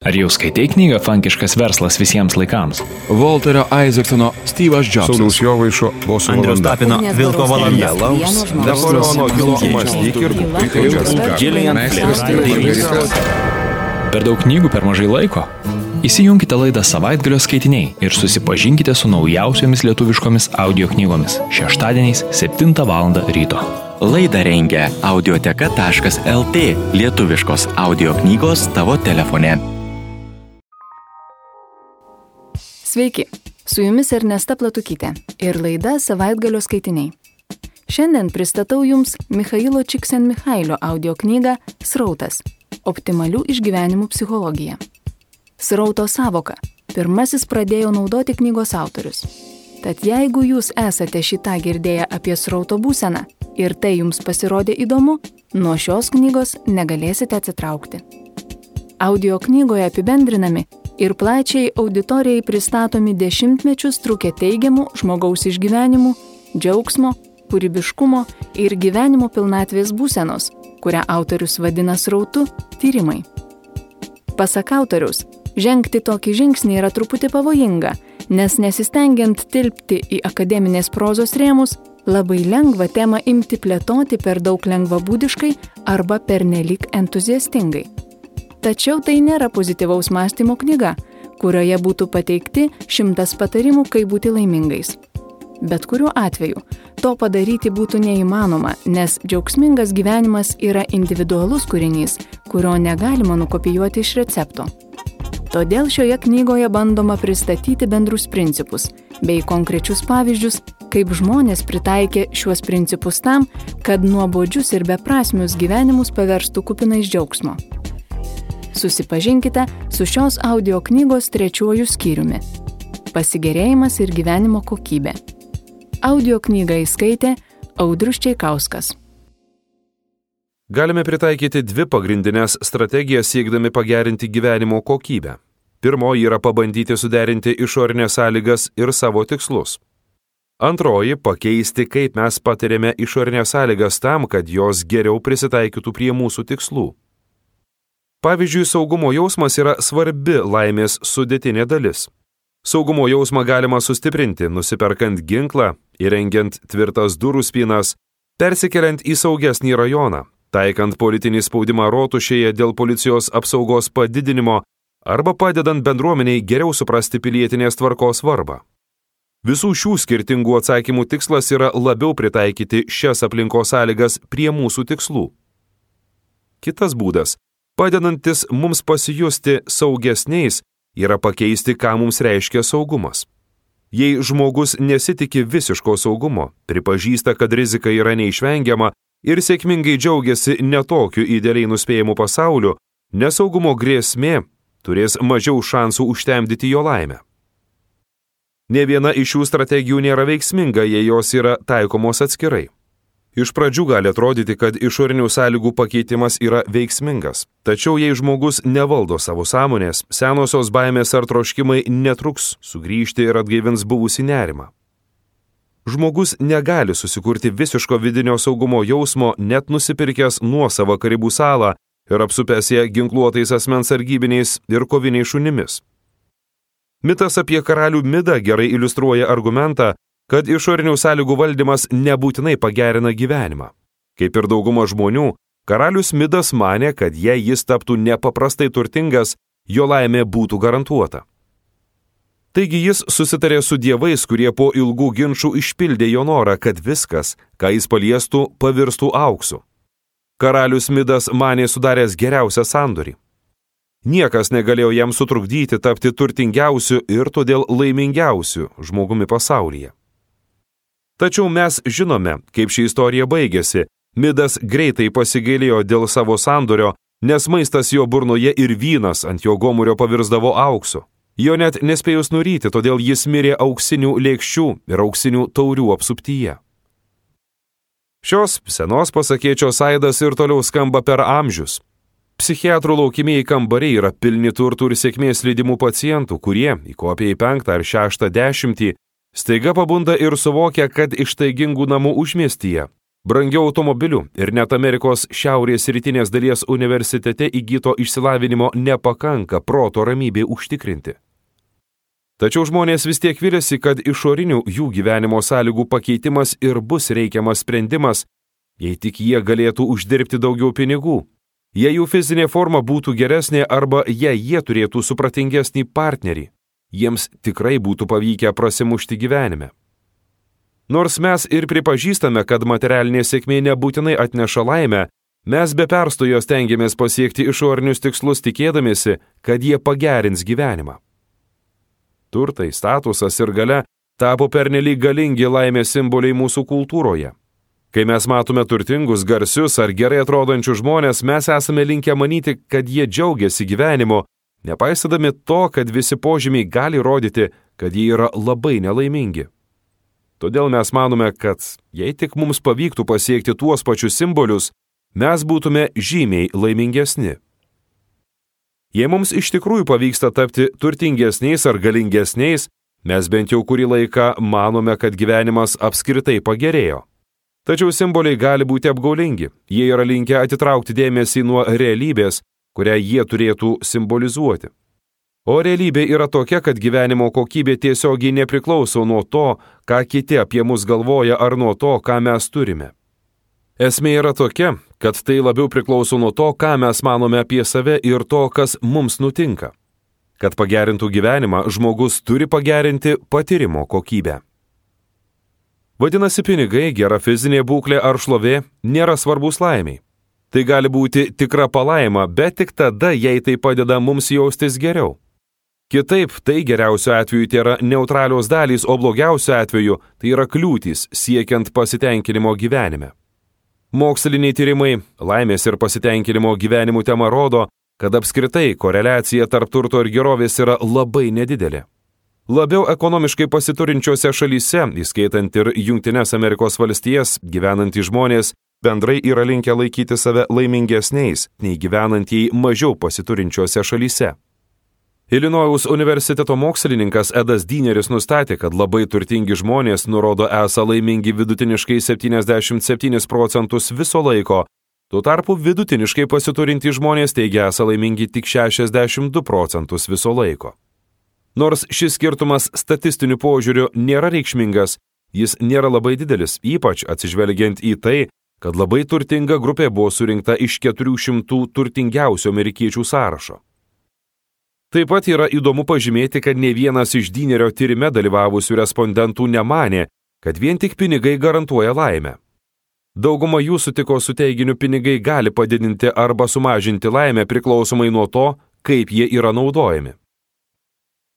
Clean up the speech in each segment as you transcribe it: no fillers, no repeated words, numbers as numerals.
Ar jau skaitai knygą Funkiškas verslas visiems laikams? Walterio Isaacsono Steve'as Jobsas. Sauliaus Jovaišo Bosų Andriaus valanda. Tapino Vilko valanda. Napoleono Hilo mąstyk ir Per daug knygų per mažai laiko? Įsijunkite laidą Savaitgalio skaitiniai ir susipažinkite su naujausiomis lietuviškomis audio knygomis šeštadieniais 7 val. Ryto. Laidą rengia audioteka.lt, lietuviškos audio knygos tavo telefone. Sveiki, su jumis Ernesta Platukytė ir laida Savaitgalio skaitiniai. Šiandien pristatau jums Michailo Csikszentmihalio audio knygą Srautas – optimalių išgyvenimų psichologija. Srauto sąvoka pirmasis pradėjo naudoti knygos autorius. Tad jeigu jūs esate šitą girdėję apie srauto būseną ir tai jums pasirodė įdomu, nuo šios knygos negalėsite atsitraukti. Audio knygoje apibendrinami ir plačiai auditorijai pristatomi dešimtmečius trukę teigiamų žmogaus išgyvenimų, džiaugsmo, kūrybiškumo ir gyvenimo pilnatvės būsenos, kurią autorius vadina srautu, tyrimai. Pasak autoriaus, žengti tokį žingsnį yra truputį pavojinga, nes nesistengiant tilpti į akademinės prozos rėmus, labai lengva temą imti plėtoti per daug lengvabūdiškai arba pernelyg entuziastingai. Tačiau tai nėra pozityvaus mąstymo knyga, kurioje būtų pateikti 100 patarimų, kaip būti laimingais. Bet kuriuo atveju to padaryti būtų neįmanoma, nes džiaugsmingas gyvenimas yra individualus kūrinys, kurio negalima nukopijuoti iš recepto. Todėl šioje knygoje bandoma pristatyti bendrus principus bei konkrečius pavyzdžius, kaip žmonės pritaikė šiuos principus tam, kad nuobodžius ir beprasmius gyvenimus paverstų kupinais džiaugsmo. Susipažinkite su šios audio knygos 3 skyriumi – Pasigėrėjimas ir gyvenimo kokybė. Audio knygą įskaitė Audrius Čeikauskas. Galime pritaikyti 2 pagrindinės strategijas siekdami pagerinti gyvenimo kokybę. Pirmoji yra pabandyti suderinti išorinės sąlygas ir savo tikslus. Antroji – pakeisti, kaip mes patiriame išorinės sąlygas tam, kad jos geriau prisitaikytų prie mūsų tikslų. Pavyzdžiui, saugumo jausmas yra svarbi laimės sudėtinė dalis. Saugumo jausmą galima sustiprinti, nusiperkant ginklą, įrengiant tvirtas durų spynas, persikeliant į saugesnį rajoną, taikant politinį spaudimą rotušėje dėl policijos apsaugos padidinimo arba padedant bendruomeniai geriau suprasti pilietinės tvarkos svarbą. Visų šių skirtingų atsakymų tikslas yra labiau pritaikyti šias aplinkos sąlygas prie mūsų tikslų. Kitas būdas, padedantis mums pasijusti saugesniais, yra pakeisti, ką mums reiškia saugumas. Jei žmogus nesitiki visiško saugumo, pripažįsta, kad rizika yra neišvengiama ir sėkmingai džiaugiasi netokiu idealiai nuspėjimu pasauliu, nesaugumo grėsmė turės mažiau šansų užtemdyti jo laimę. Ne viena iš šių strategijų nėra veiksminga, jei jos yra taikomos atskirai. Iš pradžių gali atrodyti, kad išorinių sąlygų pakeitimas yra veiksmingas. Tačiau jei žmogus nevaldo savo sąmonės, senosios baimės ar troškimai netruks sugrįžti ir atgaivins buvusį nerimą. Žmogus negali susikurti visiško vidinio saugumo jausmo, net nusipirkęs nuosavą Karibų salą ir apsupęs ją ginkluotais asmens sargybiniais ir koviniais šunimis. Mitas apie karalių Midą gerai iliustruoja argumentą, kad išorinių sąlygų valdymas nebūtinai pagerina gyvenimą. Kaip ir dauguma žmonių, karalius Midas manė, kad jei jis taptų nepaprastai turtingas, jo laimė būtų garantuota. Taigi jis susitarė su dievais, kurie po ilgų ginčų išpildė jo norą, kad viskas, ką jis paliestų, pavirstų auksu. Karalius Midas manė sudaręs geriausią sandorį. Niekas negalėjo jam sutrukdyti tapti turtingiausiu ir todėl laimingiausiu žmogumi pasaulyje. Tačiau mes žinome, kaip ši istorija baigėsi. Midas greitai pasigailėjo dėl savo sandorio, nes maistas jo burnoje ir vynas ant jo gomurio pavirsdavo auksu. Jo net nespėjus nuryti, todėl jis mirė auksinių lėkščių ir auksinių taurių apsuptyje. Šios senos pasakėčios aidas ir toliau skamba per amžius. Psichiatrų laukimieji kambariai yra pilni turtų ir sėkmės lydimų pacientų, kurie, įkopę į 5 ar 6 dešimtį, staiga pabunda ir suvokia, kad iš taigingų namų užmiestyje brangiau automobilių ir net Amerikos šiaurės rytinės dalies universitete įgyto išsilavinimo nepakanka proto ramybei užtikrinti. Tačiau žmonės vis tiek viliasi, kad išorinių jų gyvenimo sąlygų pakeitimas ir bus reikiamas sprendimas, jei tik jie galėtų uždirbti daugiau pinigų, jei jų fizinė forma būtų geresnė arba jei jie turėtų supratingesnį partnerį, jiems tikrai būtų pavykę prasimušti gyvenime. Nors mes ir pripažįstame, kad materialinė sėkmė nebūtinai atneša laimę, mes be perstojo stengiamės pasiekti išorinius tikslus tikėdamiesi, kad jie pagerins gyvenimą. Turtai, statusas ir galia tapo pernelyg galingi laimės simboliai mūsų kultūroje. Kai mes matome turtingus, garsius ar gerai atrodančius žmonės, mes esame linkę manyti, kad jie džiaugiasi gyvenimu, nepaisydami to, kad visi požymiai gali rodyti, kad jie yra labai nelaimingi. Todėl mes manome, kad jei tik mums pavyktų pasiekti tuos pačius simbolius, mes būtume žymiai laimingesni. Jei mums iš tikrųjų pavyksta tapti turtingesniais ar galingesniais, mes bent jau kurį laiką manome, kad gyvenimas apskritai pagerėjo. Tačiau simboliai gali būti apgaulingi, jie yra linkę atitraukti dėmesį nuo realybės, kurią jie turėtų simbolizuoti. O realybė yra tokia, kad gyvenimo kokybė tiesiogiai nepriklauso nuo to, ką kiti apie mus galvoja ar nuo to, ką mes turime. Esmė yra tokia, kad tai labiau priklauso nuo to, ką mes manome apie save ir to, kas mums nutinka. Kad pagerintų gyvenimą, žmogus turi pagerinti patyrimo kokybę. Vadinasi, pinigai, gera fizinė būklė ar šlovė nėra svarbus laimiai. Tai gali būti tikra palaima, bet tik tada, jei tai padeda mums jaustis geriau. Kitaip, tai geriausiu atveju tai yra neutralios dalys, o blogiausiu atveju tai yra kliūtys siekiant pasitenkinimo gyvenime. Moksliniai tyrimai, laimės ir pasitenkinimo gyvenimų tema rodo, kad apskritai koreliacija tarp turto ir gerovės yra labai nedidelė. Labiau ekonomiškai pasiturinčiose šalyse, įskaitant ir Jungtines Amerikos valstijas, gyvenantys žmonės bendrai yra linkę laikyti save laimingesniais, nei gyvenantieji mažiau pasiturinčiose šalyse. Ilinojaus universiteto mokslininkas Edas Dineris nustatė, kad labai turtingi žmonės nurodo esą laimingi vidutiniškai 77% viso laiko, tuo tarpu vidutiniškai pasiturintys žmonės teigia esą laimingi tik 62% viso laiko. Nors šis skirtumas statistiniu požiūriu nėra reikšmingas, jis nėra labai didelis, ypač atsižvelgiant į tai, kad labai turtinga grupė buvo surinkta iš 400 turtingiausių amerikiečių sąrašo. Taip pat yra įdomu pažymėti, kad ne vienas iš Dinerio tyrime dalyvavusių respondentų nemanė, kad vien tik pinigai garantuoja laimę. Dauguma jų sutiko su teiginiu pinigai gali padidinti arba sumažinti laimę priklausomai nuo to, kaip jie yra naudojami.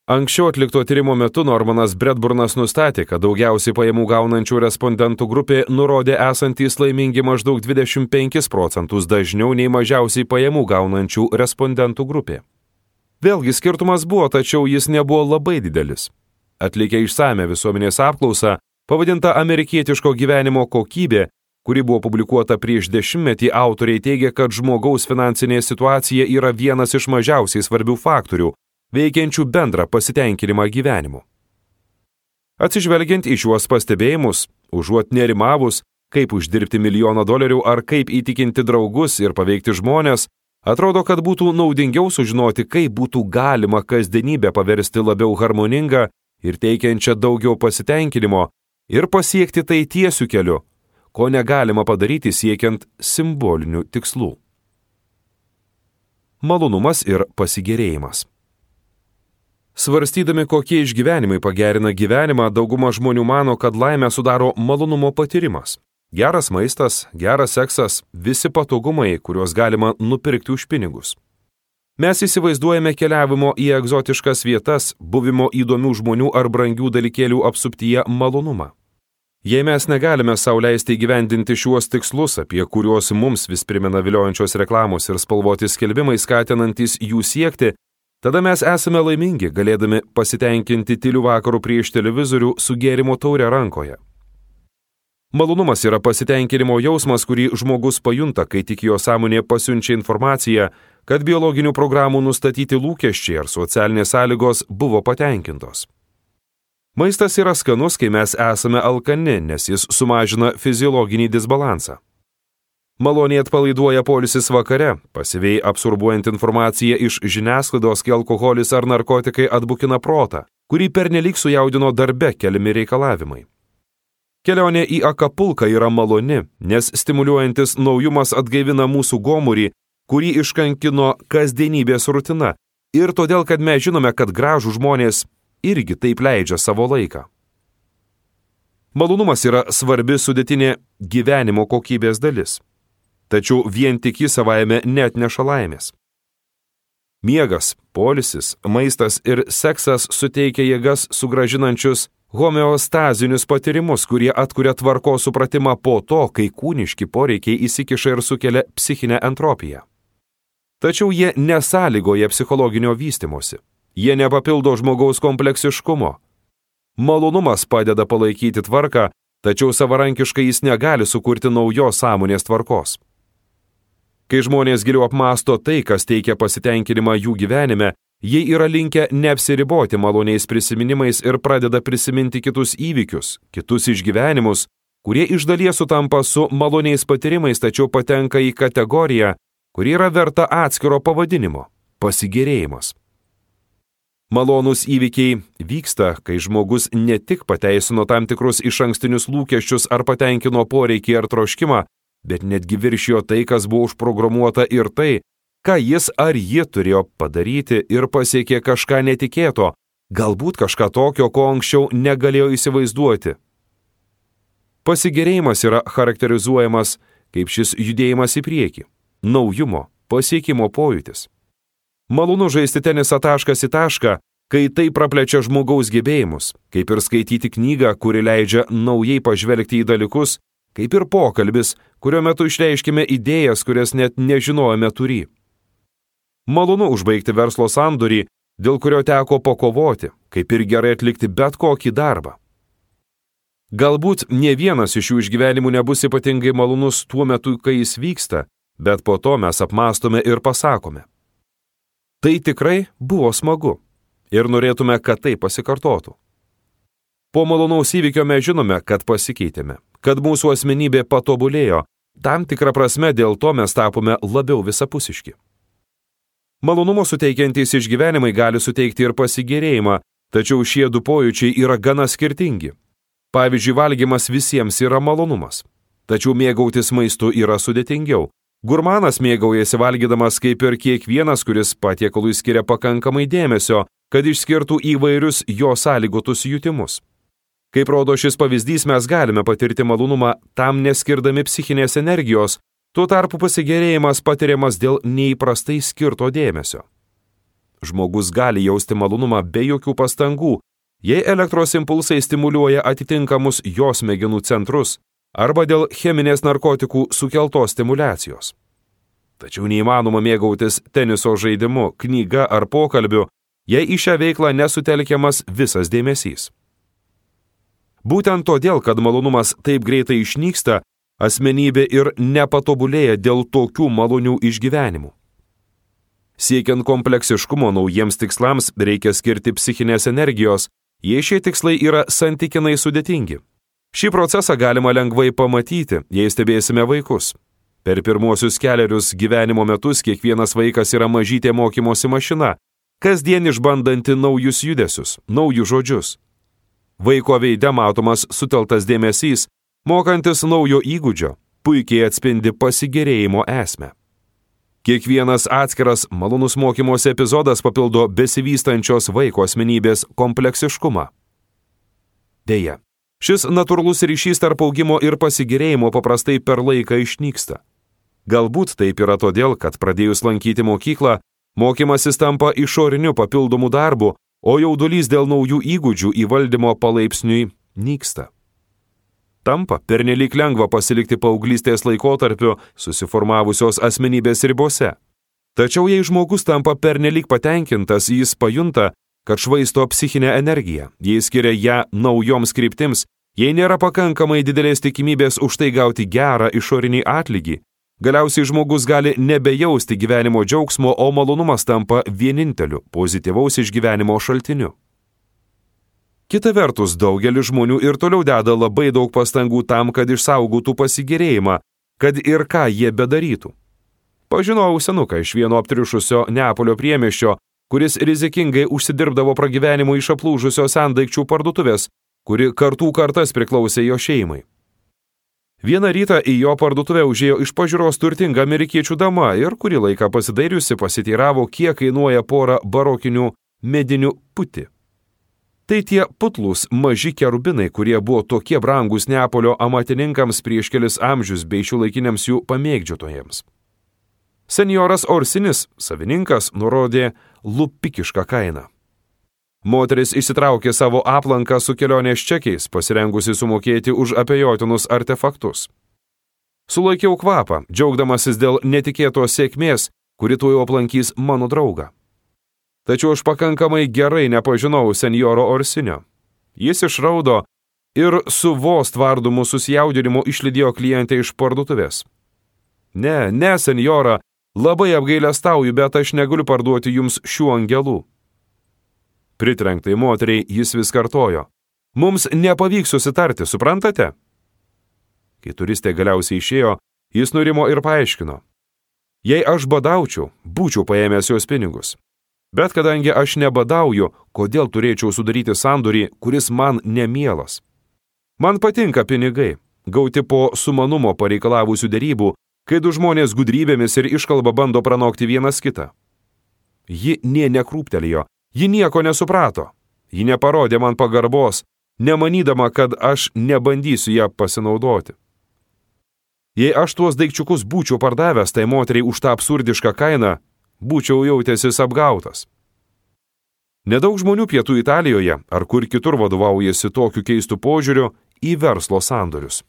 Anksčiau atlikto tyrimo metu Normanas Bradburnas nustatė, kad daugiausiai pajamų gaunančių respondentų grupė nurodė esantys laimingi maždaug 25% dažniau nei mažiausiai pajamų gaunančių respondentų grupė. Vėlgi skirtumas buvo, tačiau jis nebuvo labai didelis. Atlikę išsame visuomenės apklausą, pavadinta amerikietiško gyvenimo kokybė, kuri buvo publikuota prieš 10 metų, autoriai teigia, kad žmogaus finansinė situacija yra vienas iš mažiausiai svarbių faktorių, veikiančių bendrą pasitenkinimą gyvenimu. Atsižvelgiant į šiuos pastebėjimus, užuot nerimavus, kaip uždirbti $1 ar kaip įtikinti draugus ir paveikti žmonės, atrodo, kad būtų naudingiau sužinoti, kaip būtų galima kasdienybę paversti labiau harmoningą ir teikiančią daugiau pasitenkinimo ir pasiekti tai tiesiu keliu, ko negalima padaryti siekiant simbolinių tikslų. Malonumas ir pasigėrėjimas. Svarstydami, kokie išgyvenimai pagerina gyvenimą, dauguma žmonių mano, kad laimę sudaro malonumo patyrimas. Geras maistas, geras seksas, visi patogumai, kuriuos galima nupirkti už pinigus. Mes įsivaizduojame keliavimo į egzotiškas vietas, buvimo įdomių žmonių ar brangių dalykėlių apsuptyje malonumą. Jei mes negalime sau leisti įgyvendinti šiuos tikslus, apie kuriuos mums vis primena viliojančios reklamos ir spalvoti skelbimai skatinantys jų siekti, tada mes esame laimingi, galėdami pasitenkinti tylių vakarų prieš televizorių su gėrimo taure rankoje. Malonumas yra pasitenkinimo jausmas, kurį žmogus pajunta, kai tik jo sąmonė pasiunčia informaciją, kad biologinių programų nustatyti lūkesčiai ar socialinės sąlygos buvo patenkintos. Maistas yra skanus, kai mes esame alkani, nes jis sumažina fiziologinį disbalansą. Maloniai atpalaiduoja poilsis vakare, pasyviai absorbuojant informaciją iš žiniasklaidos, kai alkoholis ar narkotikai atbukina protą, kurį pernelyg sujaudino darbe keliami reikalavimai. Kelionė į Akapulką yra maloni, nes stimuliuojantis naujumas atgaivina mūsų gomurį, kurį iškankino kasdienybės rutina, ir todėl, kad mes žinome, kad gražų žmonės irgi taip leidžia savo laiką. Malonumas yra svarbi sudėtinė gyvenimo kokybės dalis, tačiau vien tik jis savaime neatneša laimės. Miegas, poilsis, maistas ir seksas suteikia jėgas sugrąžinančius homeostazinius patyrimus, kurie atkuria tvarkos supratimą po to, kai kūniški poreikiai įsikiša ir sukelia psichinę entropiją. Tačiau jie nesąlygoja psichologinio vystymosi. Jie nepapildo žmogaus kompleksiškumo. Malonumas padeda palaikyti tvarką, tačiau savarankiškai jis negali sukurti naujos sąmonės tvarkos. Kai žmonės giliau apmąsto tai, kas teikia pasitenkinimą jų gyvenime, jie yra linkę neapsiriboti maloniais prisiminimais ir pradeda prisiminti kitus įvykius, kitus išgyvenimus, kurie iš dalies sutampa su maloniais patyrimais, tačiau patenka į kategoriją, kuri yra verta atskiro pavadinimo – pasigėrėjimas. Malonūs įvykiai vyksta, kai žmogus ne tik pateisino tam tikrus išankstinius lūkesčius ar patenkino poreikį ar troškimą, bet netgi viršijo tai, kas buvo užprogramuota ir tai, ką jis ar ji turėjo padaryti ir pasiekė kažką netikėto, galbūt kažką tokio, ko anksčiau negalėjo įsivaizduoti. Pasigėrėjimas yra charakterizuojamas kaip šis judėjimas į priekį, naujumo, pasiekimo pojūtis. Malonu žaisti tenisą taškas į tašką, kai tai praplečia žmogaus gebėjimus, kaip ir skaityti knygą, kuri leidžia naujai pažvelgti į dalykus, kaip ir pokalbis, kurio metu išreiškime idėjas, kurias net nežinojome turį. Malonu užbaigti verslo sandorį, dėl kurio teko pakovoti, kaip ir gerai atlikti bet kokį darbą. Galbūt ne vienas iš šių išgyvenimų nebus ypatingai malonus tuo metu, kai jis vyksta, bet po to mes apmąstome ir pasakome. Tai tikrai buvo smagu ir norėtume, kad tai pasikartotų. Po malonaus įvykio mes žinome, kad pasikeitėme, kad mūsų asmenybė patobulėjo, tam tikrą prasme dėl to mes tapome labiau visapusiški. Malonumo suteikiantys išgyvenimai gali suteikti ir pasigėrėjimą, tačiau šie du pojūčiai yra gana skirtingi. Pavyzdžiui, valgymas visiems yra malonumas, tačiau mėgautis maistu yra sudėtingiau. Gurmanas mėgaujasi valgydamas kaip ir kiekvienas, kuris patiekalui skiria pakankamai dėmesio, kad išskirtų įvairius jo sąlygotus jutimus. Kaip rodo šis pavyzdys, mes galime patirti malonumą tam neskirdami psichinės energijos, tuo tarpu pasigėrėjimas patiriamas dėl neįprastai skirto dėmesio. Žmogus gali jausti malonumą be jokių pastangų, jei elektros impulsai stimuliuoja atitinkamus jo smegenų centrus, arba dėl cheminės narkotikų sukeltos stimulacijos. Tačiau neįmanoma mėgautis teniso žaidimu, knyga ar pokalbiu, jei į šią veiklą nesutelkiamas visas dėmesys. Būtent todėl, kad malonumas taip greitai išnyksta, asmenybė ir nepatobulėja dėl tokių malonių išgyvenimų. Siekiant kompleksiškumo naujiems tikslams reikia skirti psichinės energijos, jei šie tikslai yra santykinai sudėtingi. Šį procesą galima lengvai pamatyti, jei stebėsime vaikus. Per pirmuosius kelerius gyvenimo metus kiekvienas vaikas yra mažytė mokymosi mašina, kasdien išbandanti naujus judesius, naujus žodžius. Vaiko veide matomas suteltas dėmesys, mokantis naujo įgūdžio, puikiai atspindi pasigėrėjimo esmę. Kiekvienas atskiras malonus mokymosi epizodas papildo besivystančios vaiko asmenybės kompleksiškumą. Deja, šis natūralus ryšys tarp augimo ir pasigėrėjimo paprastai per laiką išnyksta. Galbūt taip yra todėl, kad pradėjus lankyti mokyklą, mokymasis tampa išoriniu papildomu darbu, o jaudulys dėl naujų įgūdžių įvaldymo palaipsniui nyksta. Tampa pernelyg lengva pasilikti paauglystės laikotarpiu susiformavusios asmenybės ribose. Tačiau jei žmogus tampa pernelyg patenkintas, jis pajunta, kad švaisto psichinę energiją, jei skiria ją naujoms kryptims, jei nėra pakankamai didelės tikimybės už tai gauti gerą išorinį atlygį, galiausiai žmogus gali nebejausti gyvenimo džiaugsmo, o malonumas tampa vieninteliu pozityvaus išgyvenimo šaltiniu. Kita vertus, daugelis žmonių ir toliau deda labai daug pastangų tam, kad išsaugotų pasigėrėjimą, kad ir ką jie bedarytų. Pažinojau senuką iš vieno aptriušusio Neapolio priemiesčio, kuris rizikingai užsidirbdavo pragyvenimo iš aplūžusios sendaikčių parduotuvės, kuri kartų kartas priklausė jo šeimai. Vieną rytą į jo parduotuvę užėjo iš pažiūros turtinga amerikiečių dama ir kurį laiką pasidairiusi pasiteiravo, kiek kainuoja pora barokinių medinių puti. Tai tie putlūs maži kerubinai, kurie buvo tokie brangus Neapolio amatininkams prieš kelis amžius bei šiuolaikiniams jų pamėgdžiotojams. Senjoras Orsinis, savininkas, nurodė lupikišką kainą. Moteris išsitraukė savo aplanką su kelionės čekiais, pasirengusi sumokėti už abejotinus artefaktus. Sulaikiau kvapą, džiaugdamasis dėl netikėtos sėkmės, kuri tuoj aplankys mano draugą. Tačiau aš pakankamai gerai nepažinau senjoro Orsinio. Jis išraudo ir su vos tvardomu susijaudinimu išlydėjo klientę iš parduotuvės. Ne, senjora, labai apgailestauju, bet aš negaliu parduoti jums šių angelų. Pritrenktai moteriai jis vis kartojo. Mums nepavyks susitarti, suprantate? Kai turistė galiausiai išėjo, jis nurimo ir paaiškino. Jei aš badaučiau, būčiau paėmęs jos pinigus. Bet kadangi aš nebadauju, kodėl turėčiau sudaryti sandorį, kuris man nemielas? Man patinka pinigai, gauti po sumanumo pareikalavusių derybų, kai du žmonės gudrybėmis ir iškalba bando pranokti vienas kitą. Ji nė nekrūptelėjo, ji nieko nesuprato, ji neparodė man pagarbos, nemanydama, kad aš nebandysiu ją pasinaudoti. Jei aš tuos daikčiukus būčiau pardavęs tai moteriai už tą absurdišką kainą, būčiau jautęsis apgautas. Nedaug žmonių Pietų Italijoje ar kur kitur vadovaujasi tokiu keistu požiūriu į verslo sandorius.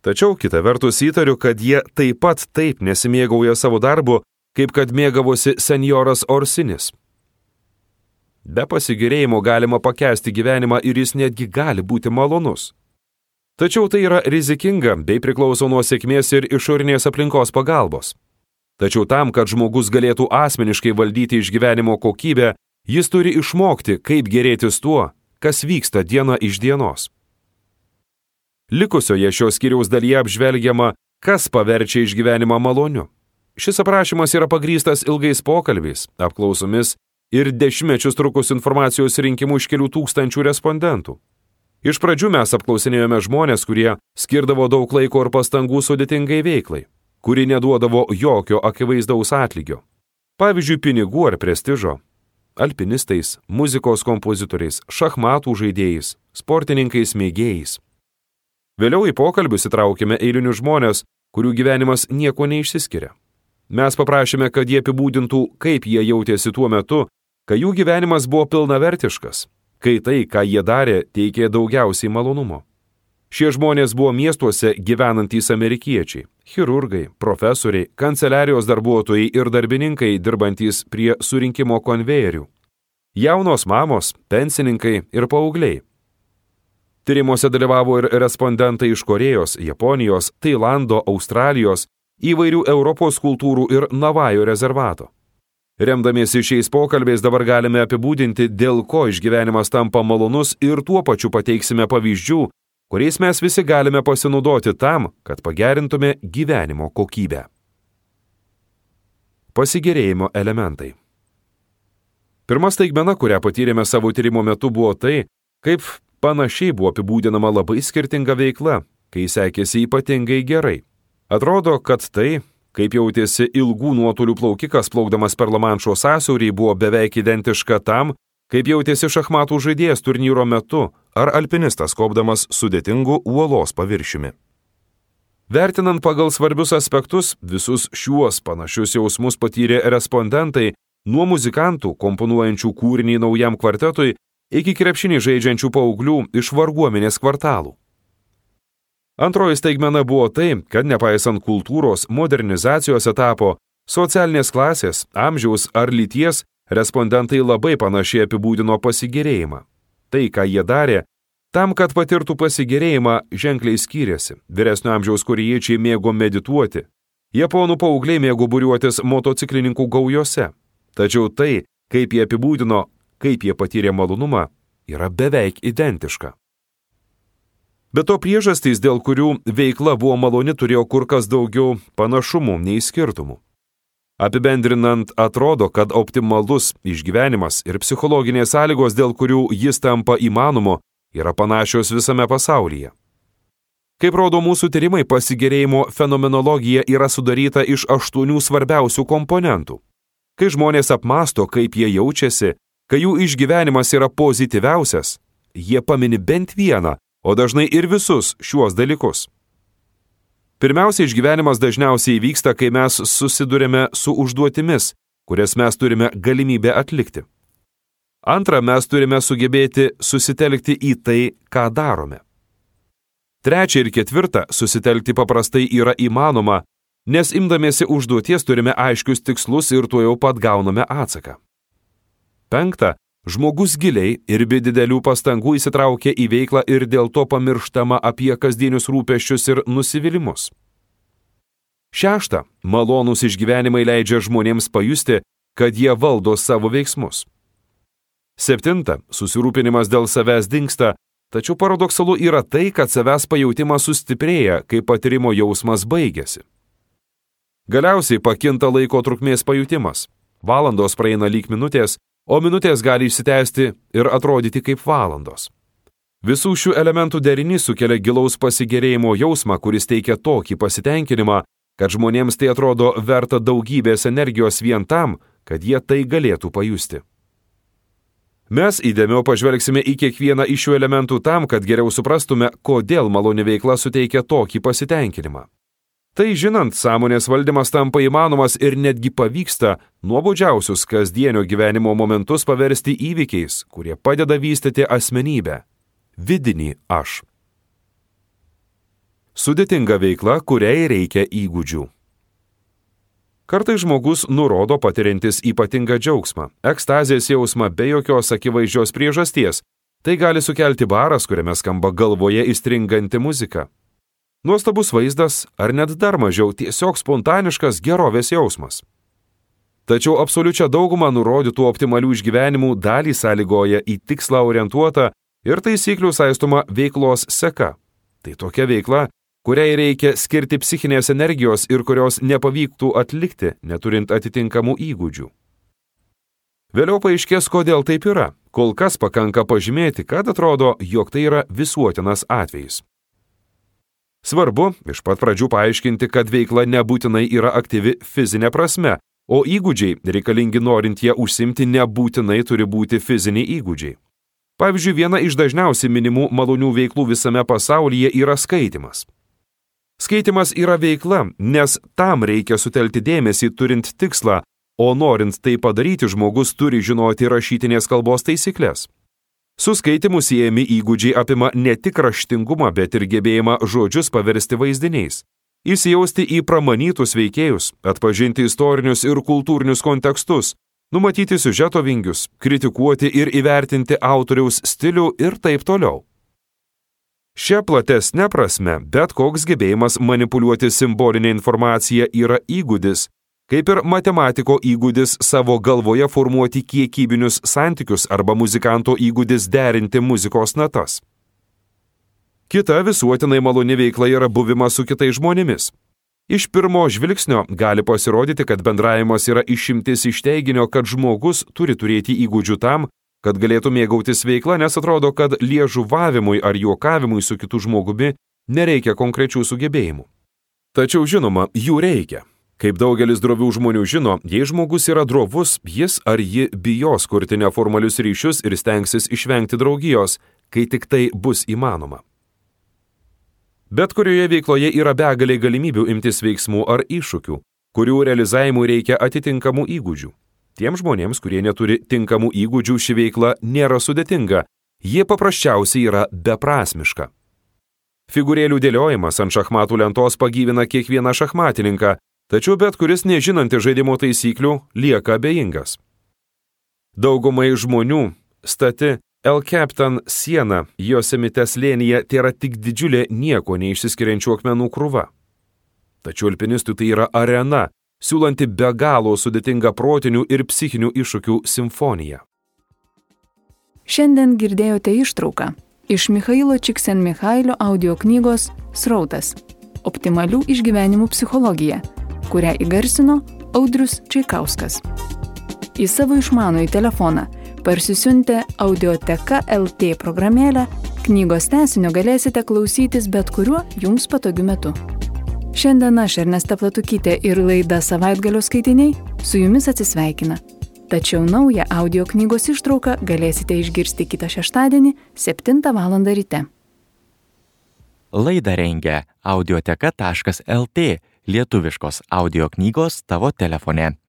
Tačiau kita vertus įtariu, kad jie taip pat taip nesimėgauja savo darbu, kaip kad mėgavosi senjoras Orsinis. Be pasigėrėjimo galima pakęsti gyvenimą ir jis netgi gali būti malonus. Tačiau tai yra rizikinga bei priklauso nuo sėkmės ir išorinės aplinkos pagalbos. Tačiau tam, kad žmogus galėtų asmeniškai valdyti išgyvenimo kokybę, jis turi išmokti, kaip gėrėtis tuo, kas vyksta diena iš dienos. Likusioje šios skyriaus dalyje apžvelgiama, kas paverčia išgyvenimą maloniu. Šis aprašymas yra pagrįstas ilgais pokalbiais, apklausomis ir dešimtmečius trukus informacijos rinkimu iš kelių tūkstančių respondentų. Iš pradžių mes apklausinėjome žmonės, kurie skirdavo daug laiko ir pastangų sudėtingai veiklai, kuri neduodavo jokio akivaizdaus atlygio. Pavyzdžiui, pinigų ar prestižo. Alpinistais, muzikos kompozitoriais, šachmatų žaidėjais, sportininkais mėgėjais. Vėliau į pokalbius įtraukėme eilinius žmonės, kurių gyvenimas nieko neišsiskiria. Mes paprašėme, kad jie apibūdintų, kaip jie jautėsi tuo metu, kai jų gyvenimas buvo pilnavertiškas, kai tai, ką jie darė, teikė daugiausiai malonumo. Šie žmonės buvo miestuose gyvenantys amerikiečiai, chirurgai, profesoriai, kanceliarijos darbuotojai ir darbininkai dirbantys prie surinkimo konvejerių, jaunos mamos, pensininkai ir paaugliai. Tyrimuose dalyvavo ir respondentai iš Korėjos, Japonijos, Tailando, Australijos, įvairių Europos kultūrų ir Navajo rezervato. Remdamiesi šiais pokalbiais dabar galime apibūdinti, dėl ko išgyvenimas tampa malonus ir tuo pačiu pateiksime pavyzdžių, kuriais mes visi galime pasinaudoti tam, kad pagerintume gyvenimo kokybę. Pasigėrėjimo elementai. Pirma staigmena, kurią patyrėme savo tyrimo metu, buvo tai, kaip panašiai buvo apibūdinama labai skirtinga veikla, kai sekėsi ypatingai gerai. Atrodo, kad tai, kaip jautėsi ilgų nuotolių plaukikas plaukdamas per Lamanšo sąsiaurį, buvo beveik identiška tam, kaip jautėsi šachmatų žaidėjas turnyro metu ar alpinistas kopdamas sudėtingu uolos paviršiumi. Vertinant pagal svarbius aspektus, visus šiuos panašius jausmus patyrė respondentai nuo muzikantų, komponuojančių kūrinį naujam kvartetui, iki krepšinį žaidžiančių paauglių iš varguomenės kvartalų. Antroji staigmena buvo tai, kad nepaisant kultūros, modernizacijos etapo, socialinės klasės, amžiaus ar lyties, respondentai labai panašiai apibūdino pasigėrėjimą. Tai, ką jie darė, tam, kad patirtų pasigėrėjimą, ženkliai skyrėsi. Vyresnio amžiaus korėjiečiai mėgo medituoti. Japonų paaugliai mėgo būriuotis motociklininkų gaujose. Tačiau tai, kaip jie apibūdino, kaip jie patyrė malonumą, yra beveik identiška. Be to priežastys, dėl kurių veikla buvo maloni, turėjo kur kas daugiau panašumų nei skirtumų. Apibendrinant, atrodo, kad optimalus išgyvenimas ir psichologinės sąlygos, dėl kurių jis tampa įmanomu, yra panašios visame pasaulyje. Kaip rodo mūsų tyrimai, pasigėrėjimo fenomenologija yra sudaryta iš 8 svarbiausių komponentų. Kai žmonės apmąsto, kaip jie jaučiasi, kai jų išgyvenimas yra pozityviausias, jie pamini bent vieną, o dažnai ir visus šiuos dalykus. Pirmiausia, išgyvenimas dažniausiai vyksta, kai mes susidurime su užduotimis, kurias mes turime galimybę atlikti. Antra, mes turime sugebėti susitelkti į tai, ką darome. Trečia ir ketvirta, susitelkti paprastai yra įmanoma, nes imdamiesi užduoties turime aiškius tikslus ir tuojau pat gauname atsaką. Penkta, žmogus giliai ir be didelių pastangų įsitraukia į veiklą ir dėl to pamirštama apie kasdienius rūpesčius ir nusivylimus. Šešta, malonūs išgyvenimai leidžia žmonėms pajusti, kad jie valdo savo veiksmus. Septinta, susirūpinimas dėl savęs dingsta, tačiau paradoksalu yra tai, kad savęs pajautimas sustiprėja, kai patyrimo jausmas baigėsi. Galiausiai pakinta laiko trukmės pajutimas. Valandos praeina lyg minutės, o minutės gali išsitęsti ir atrodyti kaip valandos. Visų šių elementų derinys sukelia gilaus pasigėrėjimo jausmą, kuris teikia tokį pasitenkinimą, kad žmonėms tai atrodo verta daugybės energijos vien tam, kad jie tai galėtų pajusti. Mes įdėmiau pažvelgsime į kiekvieną iš šių elementų tam, kad geriau suprastume, kodėl maloni veikla suteikia tokį pasitenkinimą. Tai žinant, sąmonės valdymas tampa įmanomas ir netgi pavyksta nuobodžiausius kasdienio gyvenimo momentus paversti įvykiais, kurie padeda vystyti asmenybę, vidinį aš. Sudėtinga veikla, kuriai reikia įgūdžių. Kartais žmogus nurodo patiriantis ypatingą džiaugsmą, ekstazės jausmą be jokios akivaizdžios priežasties. Tai gali sukelti baras, kuriame skamba galvoje įstringanti muzika. Nuostabus vaizdas ar net dar mažiau tiesiog spontaniškas gerovės jausmas. Tačiau absoliučią daugumą nurodytų optimalių išgyvenimų dalį sąlygoja į tikslą orientuota ir taisyklių saistoma veiklos seka. Tai tokia veikla, kuriai reikia skirti psichinės energijos ir kurios nepavyktų atlikti, neturint atitinkamų įgūdžių. Vėliau paaiškės, kodėl taip yra. Kol kas pakanka pažymėti, kad atrodo, jog tai yra visuotinas atvejis. Svarbu iš pat pradžių paaiškinti, kad veikla nebūtinai yra aktyvi fizinė prasme, o įgūdžiai, reikalingi norint ją užsimti, nebūtinai turi būti fiziniai įgūdžiai. Pavyzdžiui, viena iš dažniausiai minimų malonių veiklų visame pasaulyje yra skaitymas. Skaitymas yra veikla, nes tam reikia sutelkti dėmesį turint tikslą, o norint tai padaryti, žmogus turi žinoti rašytinės kalbos taisyklės. Su skaitimu siejami įgūdžiai apima ne tik raštingumą, bet ir gebėjimą žodžius paversti vaizdiniais, įsijausti į pramanytus veikėjus, atpažinti istorinius ir kultūrinius kontekstus, numatyti siužeto vingius, kritikuoti ir įvertinti autoriaus stilių ir taip toliau. Šia platesne prasme, bet koks gebėjimas manipuliuoti simbolinę informaciją yra įgūdis, kaip ir matematiko įgūdis savo galvoje formuoti kiekybinius santykius arba muzikanto įgūdis derinti muzikos natas. Kita visuotinai maloni veikla yra buvimas su kitais žmonėmis. Iš pirmo žvilgsnio gali pasirodyti, kad bendravimas yra išimtis iš teiginio, kad žmogus turi turėti įgūdžių tam, kad galėtų mėgautis veikla, nes atrodo, kad liežuvavimui ar juokavimui su kitu žmogumi nereikia konkrečių sugebėjimų. Tačiau žinoma, jų reikia. Kaip daugelis drovių žmonių žino, jei žmogus yra drovus, jis ar ji bijos kurti neformalius ryšius ir stengsis išvengti draugijos, kai tik tai bus įmanoma. Bet kurioje veikloje yra begalė galimybių imtis veiksmų ar iššūkių, kurių realizavimui reikia atitinkamų įgūdžių. Tiems žmonėms, kurie neturi tinkamų įgūdžių, ši veikla nėra sudėtinga, jie paprasčiausiai yra beprasmiška. Figūrėlių dėliojimas ant šachmatų lentos pagyvina kiekvieną šachmatininką, tačiau bet kuris nežinantis žaidimo taisyklių lieka abejingas. Daugumai žmonių stati El Capitan siena Yosemite slėnyje tėra tik didžiulė nieko neišsiskiriančių akmenų krūva. Tačiau alpinistui tai yra arena, siūlanti be galo sudėtingą protinių ir psichinių iššūkių simfoniją. Šiandien girdėjote ištrauką iš Michailo Csikszentmihalio audio knygos Srautas – optimalių išgyvenimų psichologija, kurią įgarsino Audrius Čaikauskas. Į savo išmanųjį telefoną parsisiuntę Audioteka LT programėlę, knygos tęsinio galėsite klausytis bet kuriuo jums patogiu metu. Šiandien aš Ernesta Platukytė ir laida Savaitgalio skaitiniai su jumis atsisveikina. Tačiau naują audio knygos ištrauką galėsite išgirsti kitą šeštadienį 7 val. Ryte. Laidą rengia audioteka.lt, lietuviškos audio knygos tavo telefone.